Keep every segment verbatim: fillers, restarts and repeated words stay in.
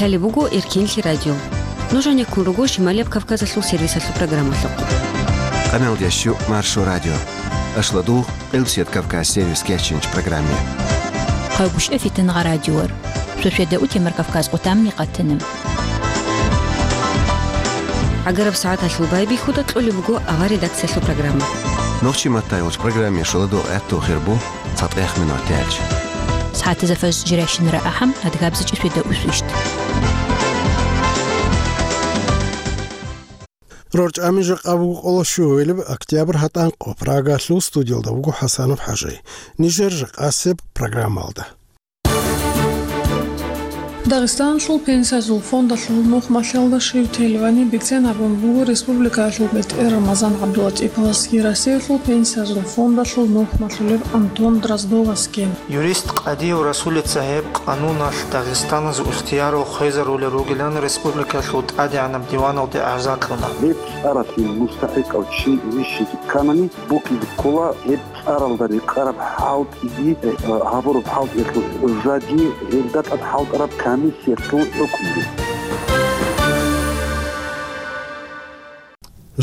Лъалеб буго Эркенлъи радио. Нуж гьанеккун руго Шималияб Кавказалъул сервисалъул программалъухъ. Къамел ящу Маршо радио. Ашладу Къилсият Кавказ сервис кечинч программе. Къагуш эфитан гъа радиор. Сосведа утемар Кавказ къутамни къатана. Агараб сагӀаталъул байбихьуда кьолеб буго авар редакциялъул программа. Нохчи маттайолч программе шоладу гӀатту хирбу. ЦатӀех минутелч. СагӀатазда фаз жирайщинара ахӀам, адгабзичӀи светда усвищт. РорчӀами жакъа буго къоло щугьуйлеб октябрь гьатӀанкъо, Прагалъул студиялда вуго ХӀасанов ХӀажи. Нижер жакъасеб программалда. Дагъистаналъул пенсиязул фондалъул нухмалъиялда щив телевани бицен абун буго республикаялъул бетӀер Рамазан ГӀабдулатӀиповасги Россиялъул пенсиязул фондалъул нухмалъулеб Антон Дроздовасги. Юрист Къадиев Расулица гьеб къануналъ Дагъистаналъ ихтиярал хвезарулел ругилан республикалъул ТӀадегӀанаб диваналде гӀарза кьуна. Гьеб цӀаралъе мустахӀикъав чи вищизе кканани, букӀизе ккола гьеб цӀаралда рекъараб хӀалтӀиги, э, гьабураб хӀалтӀиялъул жаги, гьелда тӀад хӀалтӀараб комиссиялъул хӀукмуги.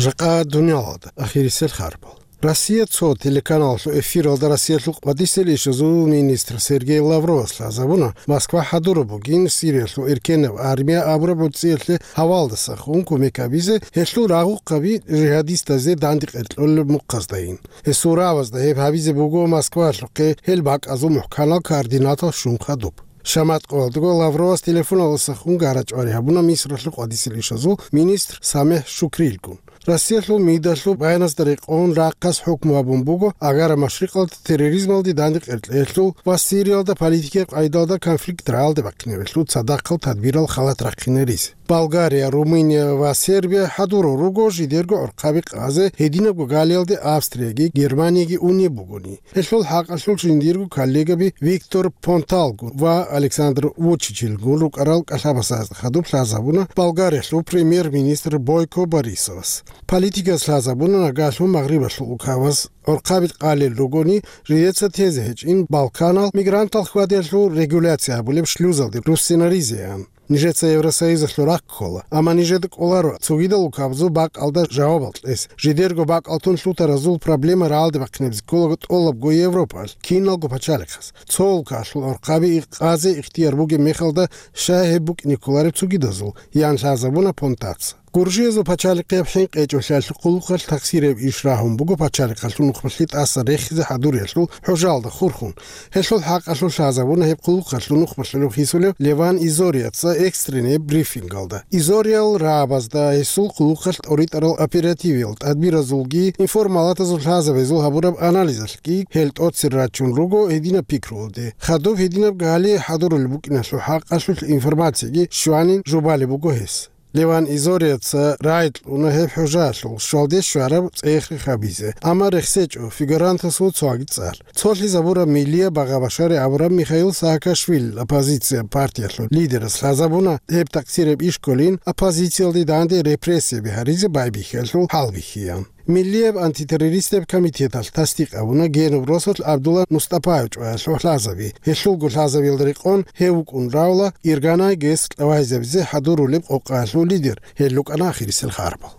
Жакъа дуниялалда ахирисел харбал. Россия цо телеканалалъул эфиралда Россиялъул къватӀисел ишазул министр Сергей Лавровас лъазабуна, Москва хӀадураб бугин Сириялъул эркенаб армия абураб гӀуцӀиялъе гьавалдаса хун кумек гьабизе, гьелъул рагъухъаби жигьадистазде дандекъер кьолеб мухъаздайин. Гьесул рагӀабазда гьеб гьабизе буго Москваялъухъе гьел бакӀазул мухӀканал координатал щун хадуб. Шаматкъоялдаго Лавровас телефоналдаса хун гьарачӀвари гьабуна Мисралъул къватӀисел ишазул министр СамихӀ Шукрилгун. Россиялъул МИДалъул баяназда рекъон рахъалъ хӀукму гьабун буго Агара Машрикъалда терроризмалде дандекъер кьеялъул ва Сириялда политикияб къайдалда конфликт рагӀалде бахъинабиялъул цадахъал тадбирал халат рахъинаризе. Болгария, Румыния ва Сербия хӀадурал руго жидерго гӀорхъаби къазе, гьединабго галиялде Австрияги Германияги унеб бугони. Гьелъул хӀакъалъулъ жиндирго коллегаби Виктор Понталгун ва Александр Вучичилгун рукӀарал кӀалъабасазда хадуб лъазабуна Болгариялъул премьер-министр Бойко Борисовас. Политикас лъазабуна нагагьлъун Магърибалъул улкабаз гӀорхъаби къалел ругони, жидеца тезе гьечӀин Балканал мигрантал хьвадиялъул регуляция гьабулеб шлюзалде руссинаризеян. Нижеца Евросоюзалъул рахъ ккола, амма нижеда кӀоларо цогидал улкабазул бакӀалда жавабал кьес. Жидерго бакӀалтун лъутаразул проблема рагӀалде бахъинабизе кколаго тӀолабго Европалъ, киналго пачалихъас. Цо улкалъул гӀорхъаби къазе ихтияр бугеб мехалда, щай гьеб букӀине кколареб цогидазул, ян лъазабуна Понтаца. Гуржиязул пачалихъияб хӀинкъичӀолъиялъул хъулухъалъ тахсирияб иш рагьун буго пачалихъалъул нухмалъи тӀаса рехизе хӀадуриялъул хӀужалда хурхун. Гьелъул хӀакъалъулъ лъазабуна гьеб хъулухъалъул нухмалъулев хисулев Леван Изориаца экстренный брифингалда. Изориал рагӀабазда гьесул хъулухъалъ тӀоритӀарал оперативиял тадбиразулги информалатазул лъазабазул гьабураб анализалъги гьел тӀоцер рачун руго гьединаб пикруялде. Хадуб гьединаб гали хӀадурулеб букӀиналъул хӀакъалъулъ информацияги щванин жубалеб буго гьес. Леван Изориаца рагӀи кьуна гьеб хӀужаялъул щвалде щвараб цӀех-рех гьабизе, амма рехсечӀо фигурантасул цоги цӀар. Цолъизабураб миллияб багъа-башари абураб Михаил Саакашвили оппозиция партиялъул лидерас лъазабуна гьеб такъсираб иш кколин оппозициялде данде репрессияби гьаризе байбихьиялъул хӀалбихьиян. Миллияб антитеррористияб комитеталъ тасдикъ гьабуна гьениб росулъ Абдулла Мустапаев чӀваялъул лъазаби. Гьелъулго лъазабиялда рекъон гьев вукӀун равла Ирганай ГЭС кьавайзабизе хӀадурулеб къокъаялъул лидер, гьел рукӀана ахирисел харбал.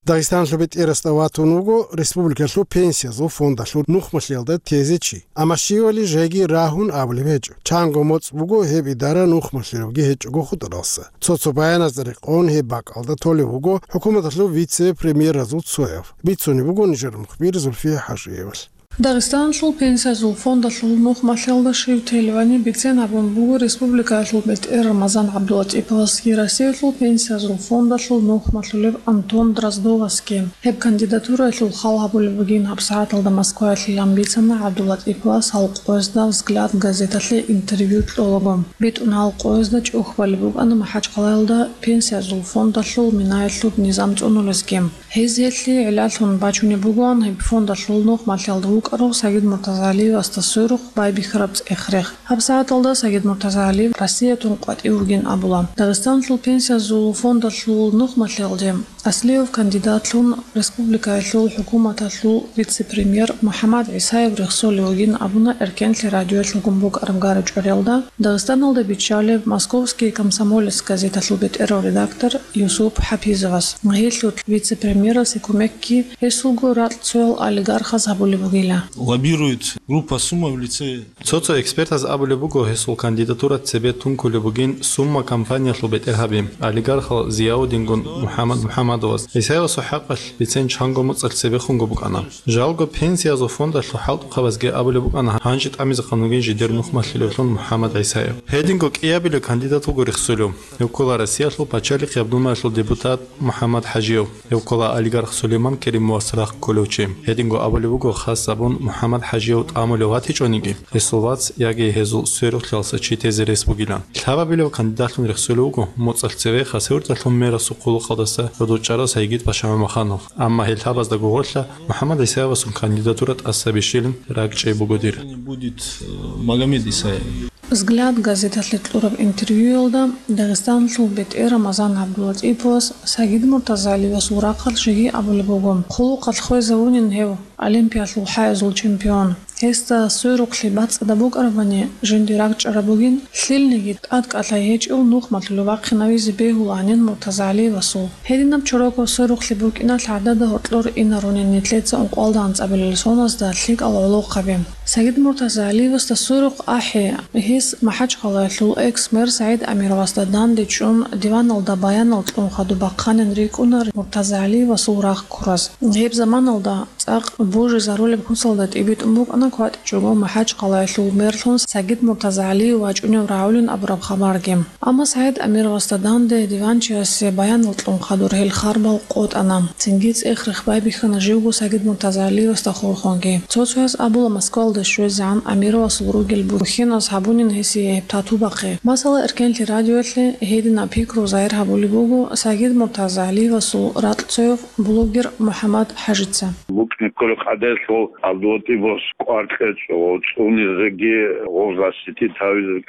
Дагъистаналъул бетӀерасда ватун вуго республикалъул пенсиязул фондалъул нухмалъиялда тезе чи. Амма щивали жеги рагьун абулеб гьечӀо. Чанго моцӀ буго гьеб идара нухмалъиявги гьечӀого хутӀаралса. Цо-цо баяназда рекъон гьеб бакӀалда толев вуго хӀукуматалъул вице-премьеразул цояв. Бицунеб буго нижер мухбир Зульфия ХӀажиевалъ. Дагъистаналъул пенсиязул фондалъул нухмалъиялда щив телевани бицен абун буго республикаялъул бетӀер Рамазан ГӀабдулатӀиповасги Россиялъул пенсиязул фондалъул нухмалъулев Антон Дроздовасги. Гьеб кандидатураялъул хал гьабулеб бугин гьабсагӀаталда Москваялъилан бицана ГӀабдулатӀиповас гьал къоязда «Взгляд» газеталъе интервью кьолаго. БитӀун гьал къоязда чӀухь балеб букӀана МахӀачхъалаялда пенсиязул фондалъул минаялъуб низам цӀунулезги. Гьез гьелъие гӀиллалъун бачунеб бугоан гьеб фондалъул нухмалъиялда букӀарав Сагид Муртазагьалиевасда сверухъ байбихьараб цӀех-рех. Гьаб сагӀаталда Сагид Муртазагьалиев Россиятун къватӀив вугин абула. Дагъистаналъул пенсиязул фондалъул нухмалъиялде аслияб кандидатлъун республикаялъул хӀукуматалъул вице-премьер МухӀаммад ГӀисаев рехсолев вугин абуна Эркенлъи радиоялъ гьабун букӀараб гара-чӀвариялда Дагъистаналда биччалеб «Московский комсомолец» газеталъул бетӀерав редактор Юсуп ХӀапизовас. Гьелъул вице-премьерасе кумекги гьесулго ракьцоял олигархаз гьабулеб бугила. Лоббирует группа Сумма в лице. Цо-цо экспертаз абулеб буго, гьесул кандидатура цебе тункулеб бугин Сумма компаниялъул бетӀергьаби, олигархал Зияудингун МухӀаммад МухӀаммадовас. ГӀисаевасул хӀакъалъ бицен чанго моцӀалъ цебехунго букӀана. Жалго пенсиязул фондалъул хӀалтӀухъабазги абулеб букӀана гьанже тӀамизехъан вугин жидер нухмалъилевлъун МухӀаммад ГӀисаев. Гьединго кӀиабилеб кандидат вуго рехсолев. Гьев ккола Россиялъул Пачалихъ гьаб Думаялъул депутат МухӀаммад ХӀажиев. Гьев ккола олигарх Сулейман Керимовас рахъ кколев чи. Гьединго абулеб буго, хас абун МухӀаммад ХӀажиев тӀамулев ватичӀониги, гьесул вац яги гьезул сверухълъиялдаса чи тезе рес бугилан. Лъабабилев кандидатлъун рехсолев вуго моцӀалъ цеве Хасавюрталъул мэрасул хъулухъалдаса гӀодов чӀарав Сайгид-паша МамахановгӀ. Амма гьел лъабазда гугъурлъа МухӀаммад ГӀисаевасул кандидатура тӀаса бищилин ракӀчӀей буго дир. Будет, э, Магомед Исаев. «Взгляд» газеталъе кьураб интервьюялда Дагъистаналъул бетӀер Рамазан ГӀабдулатӀиповас Сагид Муртазагьалиевасул рахъалъ жеги абулеб буго, хъулухъалъ хвезавунин гьев, Олимпиялъул хӀаязул чемпион. Гьесда сверухълъи бацӀцӀадаб букӀарабани, жинди ракӀчӀараб бугин, лъилниги тӀадкӀалъай гьечӀев нухмалъулев вахъинавизе бегьулаанин Муртазагьалиевасул. Гьединаб чорокаб сверухълъи букӀиналъ гӀадада гьоркьор инарунин нилъеца ункъоялда анцӀабилел соназда лъикӀал гӀолохъаби. Сагид Муртазагьалиевасда сверухъ ахӀи, гьес МахӀачхъалаялъул экс-мэр СагӀид Амировасда данде чӀун, диваналда баянал кьун хадуб бахъанин рикӀкӀуна Муртазагьалиевасул рахъ ккураз. Гьеб заманалда цӀакъ божизарулеб куцалда тӀибитӀун букӀана кватӀичӀого МахӀачхъалаялъул мерлъун Сагид Муртазагьалиев вачӀунев рагӀулин абураб хабарги. Амма СагӀид Амировасда данде диванчиясе баянал кьун хадур гьел харбал къотӀана. Цинги цӀех-рех байбихьана живго Сагид Муртазагьалиевасда хурхунги. Цо-цояз абула Москвалде щвезегӀан Амировасул ругел бухьиназ гьабунин гьесие гьеб тату бахъи. Масала, Эркенлъи радиоялъе гьединаб пикру загьир гьабулеб буго Сагид Муртазагьалиевасул ракьцояв блогер МухӀаммад ХӀажица. БукӀине кколеб къагӀидаялъ ГӀабдулатӀиповас кӀвар кьечӀо, цӀунизеги гъов защитить гьавизеги,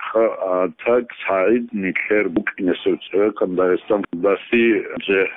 а так СагӀид нилъер букӀинесев цевекъан Дагъистан дасие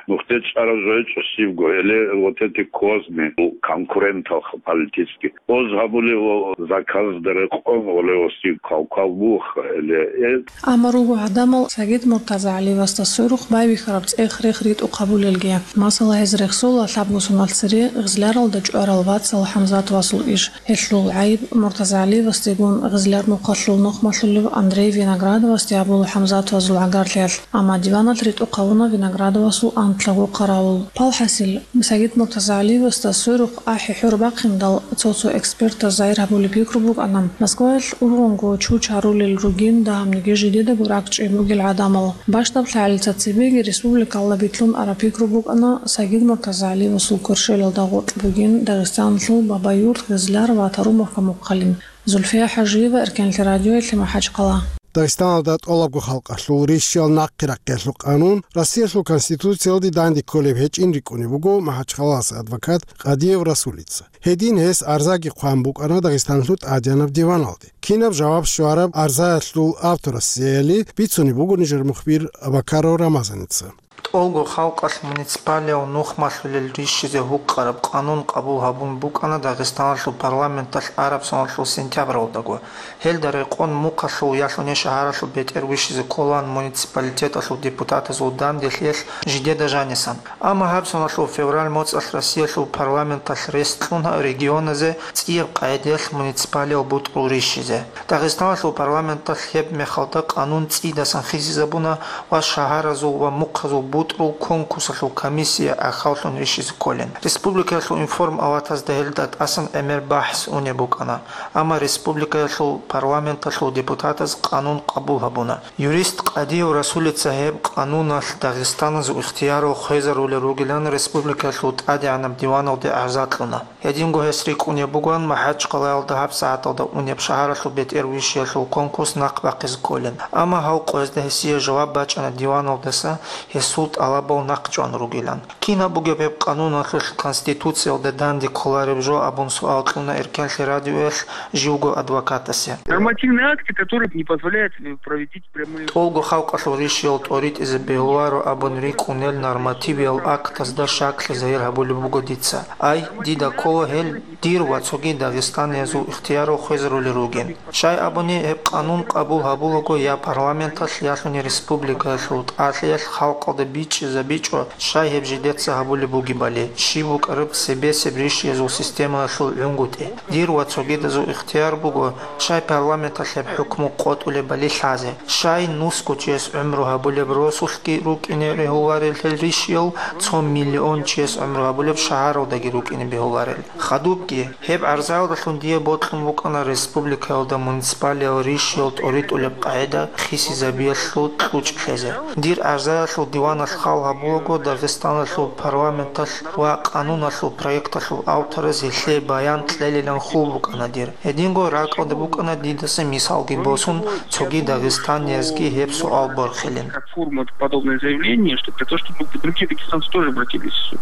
нухде чӀарав жо гьечӀо щибго, гьеле вот эти козни, конкурентал политический. Оз гьабулев ва заказда рекъон олевосив кал-кал бух, гьеле э. Амма руго гӀадамал Сагид Муртазагьалиевасда сверухъ байбихьараб цӀех-рех ритӀухъ гьабулелги. Масала, гьез рехсола лъабго соналъ цере Гъизляралда чӀварал вацал ХӀамзатовасул иш. Гьелъул гӀайиб Муртазагьалиевасдегун Гъизляр нухалъул нухмалъулев Андрей Виноградовасде гьабула ХӀамзатовазул гӀагарлъиялъ, амма диваналъ ритӀухъ гьавуна Виноградовасул анкьаго къаравул. Палхасил, Сагид Муртазагьалиевасда сверухъ ахӀи хӀур бахъиндал, цо-цо экспертаз загьир гьабулеб пикру букӀана, Москваялъ ургъунго чуч гьарулел ругин дагьабниги жидедаго ракӀчӀей бугел гӀадамал. Бащдаб лъагӀалица цебеги республикалда битлъун араб пикру букӀана Сагид Муртазагьалиевасул кверщелалда гъоркь бугин Дагъистаналъул Бабаюрт, Гъизляр ва Тарумовка мухъалин. Зульфия ХӀажиева, Эркенлъи радиоялъе, МахӀачхъала. Дагъистаналда тӀолабго халкъалъул рищал нахъе рахъиялъул къанун Россиялъул Конституциялде данде кколеб гьечӀин рикӀкӀунеб буго МахӀачхъалалъ адвокат Къадиев Расулица. Гьедин гьес арзаги хъван букӀана Дагъистаналъул тӀадегӀанаб диваналде. Кинаб жаваб щвараб арзаялъул авторасеяли бицунеб буго нижер мухбир Абакаров Рамазаница. ТӀолго халкъалъ муниципалияв нухмалъулел рищизе гьукъараб къанун къабул гьабун букӀана Дагъистаналъул парламенталъ араб соналъул сентябралдаго. Гьелда рекъон мухъалъул ялъуни шагьаралъул бетӀер вищизе кколаан муниципалитеталъул депутатазул данделъиялъ жидеда жанисан. Амма гьаб соналъул февраль моцӀалъ Россиялъул парламенталъ рес кьуна регионазе цӀияб къагӀидаялъ муниципалиял бутӀрул рищизе. Дагъистаналъул парламенталъ гьеб мехалда къанун цӀидасан хисизабуна ва шагьаразул ва мухъазул бутӀрул конкурсалъул комиссия гӀахьаллъун рищизе кколин. Республикаялъул информ-аватазда гьелда тӀасан гӀемер бахӀс унеб букӀана, амма республикаялъул парламенталъул депутатаз къанун къабул гьабуна. Юрист Къадиев Расулица гьеб къануналъ Дагъистаназул ихтиярал хвезарулел ругилан республикаялъул ТӀадегӀанаб диваналде гӀарза кьуна. Гьединго гьес рикӀкӀунеб бугоан МахӀачхъалаялда гьаб сагӀаталда унеб шагьаралъул бетӀер вищиялъул конкурс нахъ бахъизе кколин. Амма гьав къоязда гьесие жаваб бачӀана диваналдаса, гьес тӀалабал нахъчӀван ругилан. Кин гьаб бугеб гьеб къануналъулъ Конституциялда данде кколареб жо абун суал кьуна Эркенлъи радиоялъ живго адвокатасе. Нормативные акты, которые не позволяют, э, проведить прямые... ТӀолго халкъалъул рищиял тӀоритӀизе бегьуларо абун рикӀкӀунел нормативиял актазда щаклъи загьир гьабулеб буго дица. Ай, дида ккола гьел дир ва цоги дагъистаниязул ихтиярал хвезарулел ругин. Щай абуни, гьеб къанун къабул гьабулаго я парламенталъ, ялъуни республикаялъул тӀалъиялъ халкъалда бичӀчӀизабичӀо, щай гьеб жидеца гьабулеб бугебали, щиб букӀараб цебесеб рищиязул системаялъул гӀунгутӀи. Дир ва цогидазул ихтияр буго, щай парламенталъ гьеб хӀукму къотӀулебали лъазе, щай нусго чияс гӀумру гьабулеб росулъги рукӀине регьуларел гьел рищиял, цо миллион чияс гӀумру гьабулеб шагьаралдаги рукӀине бегьуларел. Хадубги, гьеб гӀарзаялдалъун дие бокьун букӀана республикаялда муниципалиял рищиял тӀоритӀулеб къагӀида хисизабиялъул кьучӀ лъезе. Дир гӀарзаялъул диваналъ хал гьабулаго Дагъистаналъул парламенталъ ва къануналъул проекталъул автораз гьелъие баян кьелилан хьул букӀана дир. Гьединго ракӀалда букӀана дидаса мисалги босун, цоги дагъистаниязги гьеб суал борхилин. Как форма подобное заявление, что для того, чтобы другие дагестанцы тоже обратились в суд.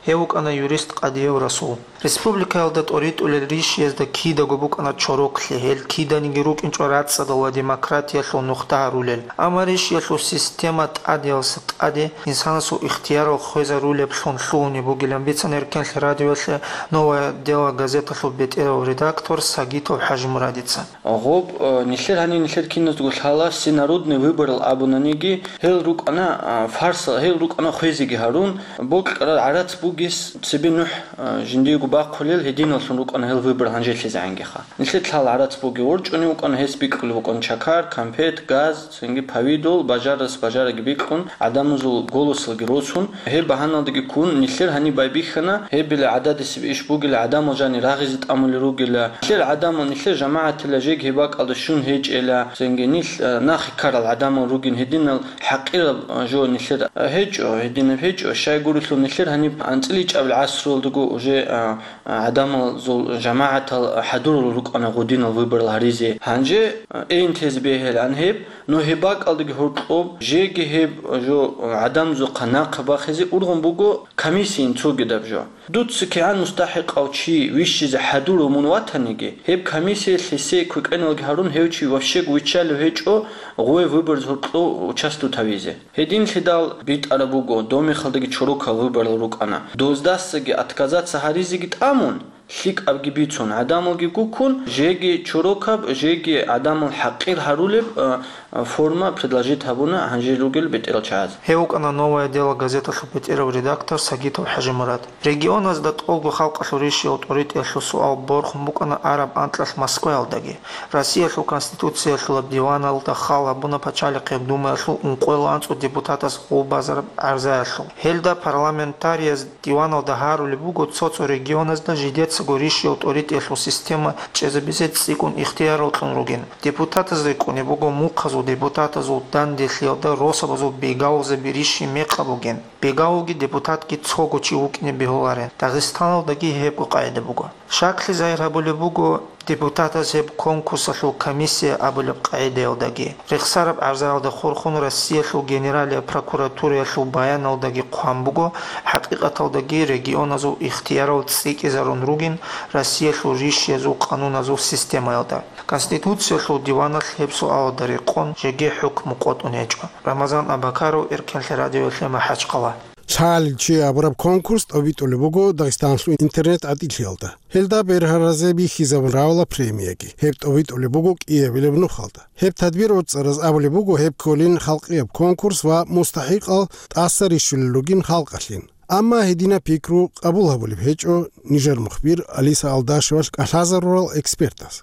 Гьев вукӀана юрист Къадиев Расул. Республикаялда тӀоритӀулел рищиязда кидаго букӀана чороклъи, гьел киданиги рукӀинчӀо рацӀцӀадал ва демократиялъул нухда гьарулел. Амма рищиялъул система тӀадеялъа тӀаде инсанасул ихтиярал хвезарулеблъун лъугьунеб бугилан бицана Эркенлъи радиоялъе «Новое дело» газеталъул бетӀерав редактор Сагитов ХӀажимурадица. Гъоб, э, нилъер гьанив нилъер киназдаго лъала, всенародный выборал абунаниги, гьел рукӀана, а, фарсал, гьел рукӀана хвезеги гьарун, бокьарал гӀарац бугес цебе нухӀ, а, жиндиего бахъулел гьединаллъун рукӀана гьел выбор гьанжелъизегӀангиха. Нилъер лъала гӀарац бугев ворчӀунев вукӀана, гьес бикьулев вукӀана чакар, кампет, газ, цинги повидал, бажарас бажараги бикьун, гӀадамазул голосалги росун, гьеб багьаналдаги ккун, нилъер гьаниб байбихьана, гьебила гӀададисеб иш бугила, гӀадамал жани рагъизе тӀамулел ругила. Нилъер гӀадамал, нилъер жамагӀатила жеги гьеб бакӀалда щун гьечӀела, цинги нилъ, а, нахъе ккарал гӀадамал ругин, гьединал хӀакъираб, а, жо нилъер, а, гьечӀо, гьединаб гьечӀо, щайгурелъул нилъер гьаниб анцӀила ичӀабил гӀасруялдаго уже, а, а, гӀадамазул жамагӀатал хӀадурал рукӀана гъудинал выборал гьаризе. Гьанже, а, эйин тезе бегьилан гьеб, но гьеб бакӀалдаги гьоркьоб жеги гьеб жо, а, гӀадамазухъа нахъа бахизе ургъун буго комиссиян цогидаб жо. Дуца кигӀан мустахӀикъав чи вищизе хӀадурав мун ватаниги, гьеб комиссиялъ гьесие квекӀеналги гьарун, гьев чи вообще виччалев гьечӀо гъуве выбораз гьоркьов участвовать гьавизе. Гьединлъидал битӀараб буго, дов мехалдаги чорокал выборал рукӀана. Доздасаги отказаться гьаризеги тӀамун, лъикӀабги бицун, гӀадамалги гуккун, жеги чорокаб, жеги гӀадамал хӀакъир гьарулеб, а, а, форма предложить гьабуна гьанже ругел бетӀерал чагӀаз. Гьев вукӀана «Новое дело» газеталъул бетӀерав редактор Сагитов ХӀажимурад. Регионазда тӀолго халкъалъул рищиял тӀоритӀиялъул суал борхун букӀана араб анкьалъ Москваялдаги. Россиялъул Конституциялъулаб диваналда хал гьабуна Пачалихъе Думаялъул ункъоялда анцӀго депутатас гъулбазараб гӀарзаялъул. Гьелда парламентарияз диваналда гьарулеб буго цо-цо регионазда жидецаго рищиял тӀоритӀиялъул система чӀезабизе цӀикӀкӀун ихтияр кьун ругин. Депутатазда рикӀкӀунеб буго мухъазул депутатазул данделъиялда росабазул бегавулзаби рищи мекъаб бугин. Бегавулги депутатги цого чи вукӀине бегьуларин. Дагъистаналдаги гьебго къагӀида буго. Щаклъи загьир гьабулеб буго депутатаз гьеб конкурсалъул комиссия абулеб къагӀидаялдаги. Рехсараб гӀарзаялда хурхун Россиялъул Генералияб прокуратураялъул баяналдаги хъван буго, хӀакъикъаталдаги регионазул ихтиярал цӀикӀкӀизарун ругин Россиялъул рищиязул къануназул системаялда. Конституциялъул диваналъ гьеб суалалда рекъон жеги хӀукму къотӀун гьечӀо. Рамазан Абакаров, Эркенлъи радиоялъе МахӀачхъала. «ЛъагӀалил чи» абураб конкурс тӀобитӀулеб буго Дагъистаналъул интернет-гӀатӀилъиялда. Гьелда бергьаразе бихьизабун равала премияги. Гьеб тӀобитӀулеб буго кӀиабилеб нухалда. Гьеб тадбир гӀуцӀараз абулеб буго гьеб кколин халкъияб конкурс ва мустахӀикъал тӀаса рищулел ругин халкъалъин. Амма гьединаб пикру къабул гьабулеб гьечӀо нижер мухбир Алиса Алдашевалъ кӀалъазарурал экспертаз.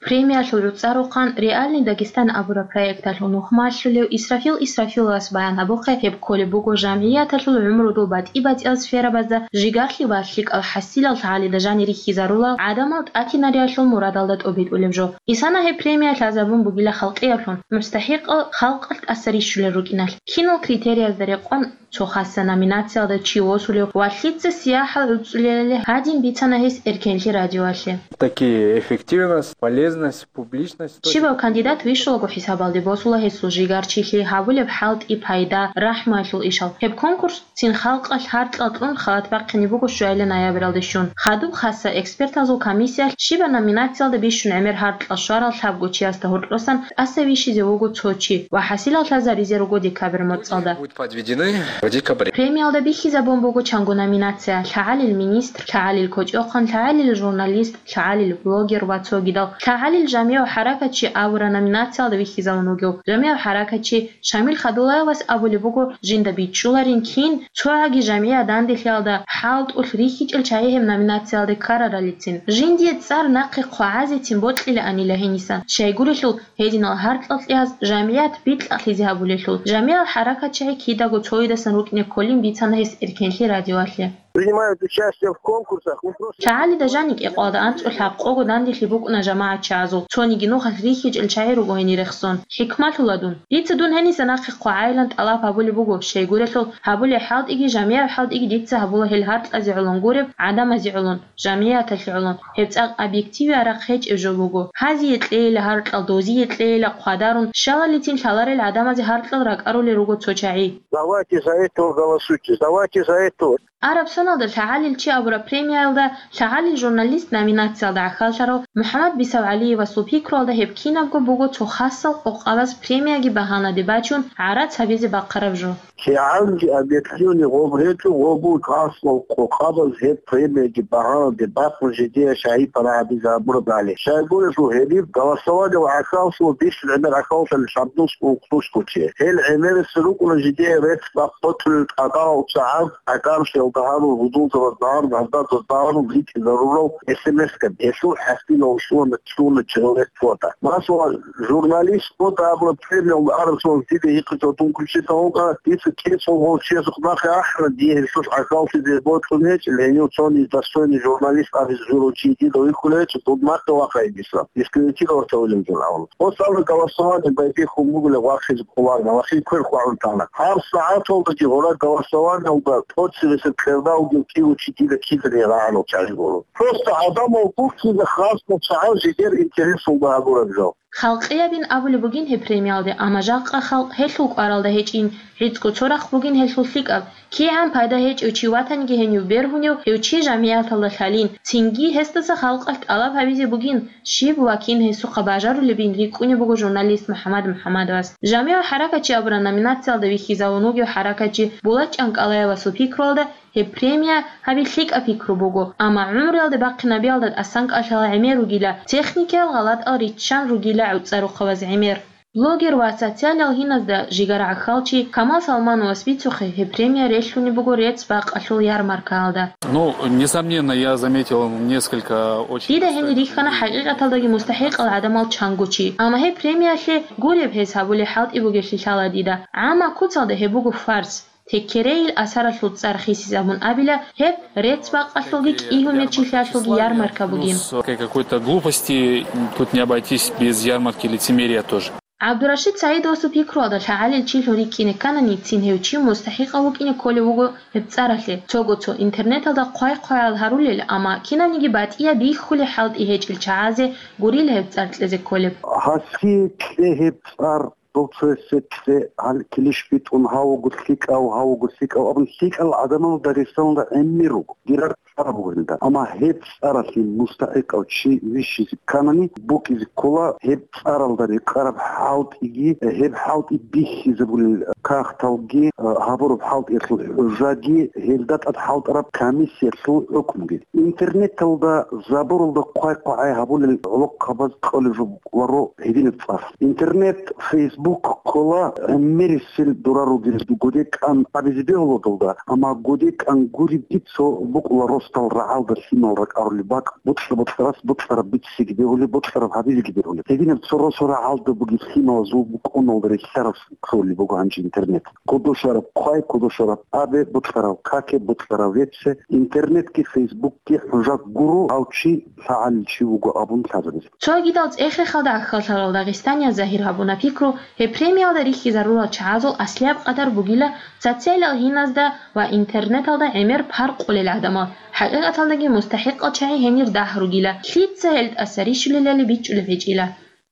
Премиялъул гӀуцӀарухъан «Реальный Дагестан» абураб проекталъул нухмалъулев Исрафил Исрафиловас баян гьабухъе, гьеб кколеб буго жамгӀияталъул гӀумрудул батӀи-батӀиял сферабазда жигалъи ва лъикӀал хӀасилал лъагӀалида жанир рихьизарулал гӀадамал тӀатинариялъул мурадалда тӀобитӀулеб жо. Исана гьеб премия лъазабун бугила халкъиялъун, мустахӀикъал халкъалъ тӀаса рищулел рукӀиналъ. Кинал критериязда рекъон цо хасса номинациялда чи восулев ва лъица сияхӀал гӀуцӀулелали гьадин бицана гьес Эркенлъи радиоялъе. Такие эффективность, полезность, публичность. Щибав кандидат вищулаго хӀисабалде босула гьесул жигарчилъи, гьабулеб хӀалтӀи, пайда, рахӀмуялъул ишал. Гьеб конкурс цин халкъалъ гьаркьал кьун халат бахъине буго щуайла ноябралде щун. Хадуб хасса экспертазул комиссиялъ щибаб номинациялда бищун гӀемер гьаркьал щварал лъабго чиясда гьоркьосан тӀаса вищизе вуго цо чи ва хӀасилал лъазаризе руго декабрь моцӀалда. Будут подведены в декабре. Премиялда бихьизабун буго чанго номинация: лъагӀалил министр, лъагӀалил кочӀохъан, лъагӀалил журналист, лъагӀалил блогер ва цогидал. ЛъагӀалил жамигӀ хӀаракатчи абураб номинациялда вихьизавун вугев жамигӀ хӀаракатчи Шамил Хадулаевас абулеб буго, жинда бичӀчӀуларин кин цогӀаги жамигӀат данделъиялда хӀалтӀулъ рихьичӀел чагӀи гьеб номинациялде ккараралицин. Жиндие цӀар нахъе хъвагӀазецин бокьилаанила гьенисан, щайгурелъул гьединал гьаркьал кьеяз жамигӀат бикьахъизе гьабулелъул. ЖамигӀал хӀаракатчагӀи кидаго цоидасан рукӀине кколин бицана гьес Эркенлъи радиоялъе. Принимают участие в конкурсах, мы просто... ЛъагӀалида жаниб кӀикъоялда анцӀго лъабкъого данделъи букӀуна жамагӀатчагӀазул, цониги нухалъ рихьичӀел чагӀи руго гьенир рехсон. ХӀикмалъула дун. Дица дун гьениса нахъе хъвагӀайилан тӀалаб гьабулеб буго, щайгурелъул гьабулеб хӀалтӀиги жамигӀаб хӀалтӀиги дица гьабула гьел гьаркьазе гӀолон гуреб гӀадамазе гӀолон, жамигӀаталъе гӀолон. Гьеб цӀакъ объективияб рахъ гьечӀеб жо буго. Гьазие кьейила гьаркьал, дозие кьейила хъвадарун, щалалицин лъаларел гӀадамазе гьаркьал ракӀарулел руго цо чагӀи. Давайте за этого голосуйте, давайте за этого. Араб соналда лъагӀалил чи абураб премиялда лъагӀалил журналист номинациялда гӀахьаллъарав МухӀаммад БисавгӀалиевасул пикруялда гьеб кинабго буго цо хасал къокъабаз премияги багьанаде бачун гӀарац гьабизе бахъараб жо. КигӀанги объективный гъоб гьечӀо, гъобул хасал къокъабаз гьеб премияги багьанаде бахъун жидее шагьи-пара гьабизе гьабурабали. Щайгурелъул гьеб голосование ва гӀахьаллъула бищун гӀемер гӀахьаллъани лъабнусго-ухънусго чи. Гьел гӀемерисел рукӀуна жидее рецц-бакъ бокьулел тӀадегӀанав чагӀаз, ГӀакаршиялда гьарун, гьудулзабазда гьарун, гьаздазда гьарун ритӀизарурал эс эм эс-каб, гьелъул хӀасилал щуна, щуна чӀегӀерес фото. Масала, журналист фото абураб премиялда араб соналъ дида гьикъичӀого дун кучиса гьукъа, дица кӀицӀул гъов чиясухъ нахъе ахӀана, дие гьелъулъ гӀахьаллъизе бокьун гьечӀел, гьенив цони достойный журналист абизе журав чи дида вихьулев гьечӀо, дун нахъе вахъайин дица, дискредитировать гьавулеб жо абун. Ос абра голосование байбихьун бугила вахъизе кколарна, вахъин квер хъвагӀун тана. Гьаб сагӀаталдаги гъора голосованиялда тӀоцебесеб кьердалги кӀиго чи дида киданиги рагӀанал чагӀи гуро. Просто гӀадамал гурхъизе хасго чагӀаз жидер интересалда гьабураб жо. Халкъиябин абулеб бугин гьеб премиялде, амма жакъа халкъ гьелъул кӀваралда гьечӀин, гӀицӀго цо рахъ бугин гьелъул лъикӀаб. КигӀан пайда гьечӀев чи ватаниги гьенив бергьунев, гьев чи жамигӀаталда лъалин, цинги гьесдаса халкъалъ тӀалаб гьабизе бугин, щиб ва кин гьесухъа бажарулебин рикӀкӀунеб буго журналист МухӀаммад МухӀаммадовас. ЖамигӀал хӀаракатчи абураб номинациялда вихьизавун вугев хӀаракатчи Булат ЧӀанкӀалаевасул пикруялда, гьеб премия гьаби лъикӀаб пикру буго, амма гӀумруялде бахъинабиялда тӀасан кӀалъала гӀемер ругила, техникиял гъалатӀал риччан ругила гӀуцӀарухъабаз гӀемер. Блогер ва социалиял гьиназда жигара гӀахьалчи Камал Салмановас бицухъе, гьеб премия релълъунеб буго рецц-бакъалъул ярмаркаялда. Ну, несомненно, я заметил несколько очень... Дида гьенир рихьана хӀакъикъаталдаги мустахӀикъал гӀадамал чанго чи. Амма гьеб премиялъе, гуреб гьез гьабулеб хӀалтӀи бугеблъи лъала дида. ГӀаммал куцалда гьеб буго фарс. Теккерейил асаралъул цӀар хисизабун абила, гьеб рецц-бакъалъулги кӀигьумер чилъиялъулги ярмарка бугин. Ну, с какой-то глупости тут не обойтись без ярмарки лицемерия тоже. ГӀабдурашид СагӀидовасул пикруялда лъагӀалил чилъун рикӀкӀине кканани, цин гьев чи мустахӀикъав вукӀине кколев вуго гьеб цӀаралъе. Цого-цо интернеталда хъвай-хъваял гьарулел, амма кинабниги батӀияб бихьулеб хӀалтӀи гьечӀел чагӀазе гурила гьеб цӀар кьезе кколеб. Гьасие кье гьеб цӀар, дов цоясе кье, гьал килищ битӀун, гьаваго лъикӀав, гьаваго лъикӀав абун, лъикӀал гӀадамал Дагъистаналда гӀемер руго. Дирар цӀар буго гьелда. Амма гьеб цӀаралъе мустахӀикъав чи вищизе кканани, букӀизе ккола гьеб цӀаралда рекъараб хӀалтӀиги, гьеб хӀалтӀи бихьизабулел кагъталги, гьабураб хӀалтӀиялъул хӀужаги, гьелда тӀад хӀалтӀараб комиссиялъул хӀукмуги. Интернеталда, забуралда хъвай-хъвагӀай гьабулел гӀолохъабаз кьолеб жо букӀуларо гьединаб цӀар. Интернет, Facebook ккола гӀемерисел дурар ругел, гудекӀан абизе бегьула дулда, амма гудекӀан гуребги цо букӀула росдал рагӀалда лъимал ракӀарулеб бакӀ, бокьа-бокьарас бокьараб биццеги бегьулеб, бокьараб гьабизеги бегьулеб. Гьединаб цо росу рагӀалда бугеб лъималазул букӀуналда релълъараб кколеб буго гьанже интернет. Кодошараб хъвай, кодошараб абе, бокьараб каке, бокьараб веце, интернетги, Фейсбукги хӀужа гуро, гьав чи лъагӀалил чи вуго абун лъазабизе. Цогидал цӀех-рехалда гӀахьаллъарал дагъистанияз загьир гьабуна пикру, Гьеб премиялда рихьизарурал чагӀазул аслияб къадар бугила социалал гьиназда ва интернеталда гӀемер паркъулел гӀадамал, хӀакъикъаталдаги мустахӀикъал чагӀи гьенир дагь ругила, лъица гьел тӀаса рищулелали бичӀчӀулеб гьечӀила.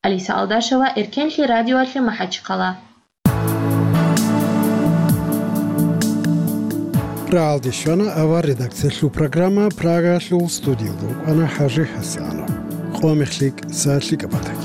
Алиса Алдашева, Эркенлъи радиоялъе МахӀачхъала. РагӀалде щвана авар редакциялъул программа, Прагаялъул студиялда вукӀана ХӀажи ХӀасанов. Къо мехлъи, са лъикӀаб батӀа.